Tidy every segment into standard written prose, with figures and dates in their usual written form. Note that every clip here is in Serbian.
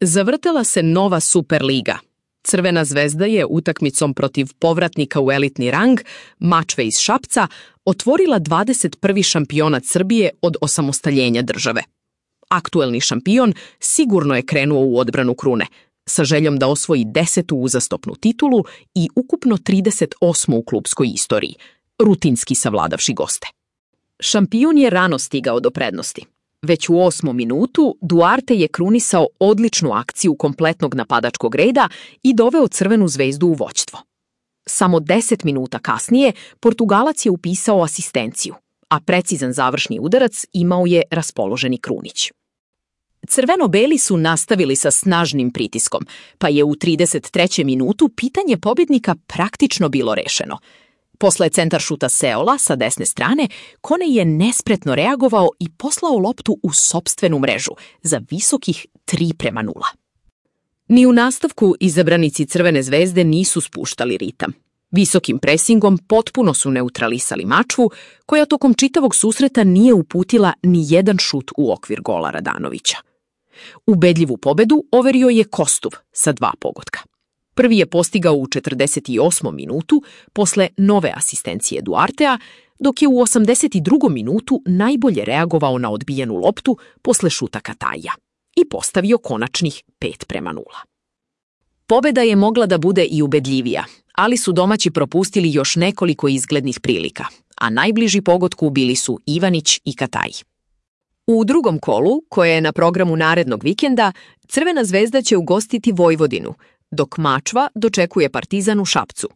Zavrtela se nova Superliga. Crvena zvezda je utakmicom protiv povratnika u elitni rang, Mačve iz Šapca, otvorila 21. šampionat Srbije od osamostaljenja države. Aktuelni šampion sigurno je krenuo u odbranu krune, sa željom da osvoji 10. uzastopnu titulu i ukupno 38. u klubskoj istoriji, rutinski savladavši goste. Šampion je rano stigao do prednosti. Već u 8. minutu Duarte je krunisao odličnu akciju kompletnog napadačkog reda i doveo Crvenu zvezdu u vođstvo. Samo 10 minuta kasnije Portugalac je upisao asistenciju, a precizan završni udarac imao je raspoloženi Krunić. Crveno-beli su nastavili sa snažnim pritiskom, pa je u 33. minutu pitanje pobjednika praktično bilo rešeno. Posle centar šuta Seola sa desne strane, Kone je nespretno reagovao i poslao loptu u sopstvenu mrežu za visokih 3:0. Ni u nastavku izabranici Crvene zvezde nisu spuštali ritam. Visokim presingom potpuno su neutralisali Mačvu, koja tokom čitavog susreta nije uputila ni jedan šut u okvir gola Radanovića. Ubedljivu pobedu overio je Kostuv sa 2 pogotka. Prvi je postigao u 48. minutu posle nove asistencije Duartea, dok je u 82. minutu najbolje reagovao na odbijenu loptu posle šuta Kataja i postavio konačnih 5:0. Pobeda je mogla da bude i ubedljivija, ali su domaći propustili još nekoliko izglednih prilika, a najbliži pogodku bili su Ivanić i Kataj. U drugom kolu, koje je na programu narednog vikenda, Crvena zvezda će ugostiti Vojvodinu, dok Mačva dočekuje Partizan u Šapcu.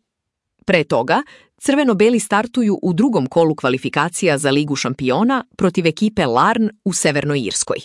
Pre toga, crveno-beli startuju u drugom kolu kvalifikacija za Ligu šampiona protiv ekipe Larn u Severnoj Irskoj.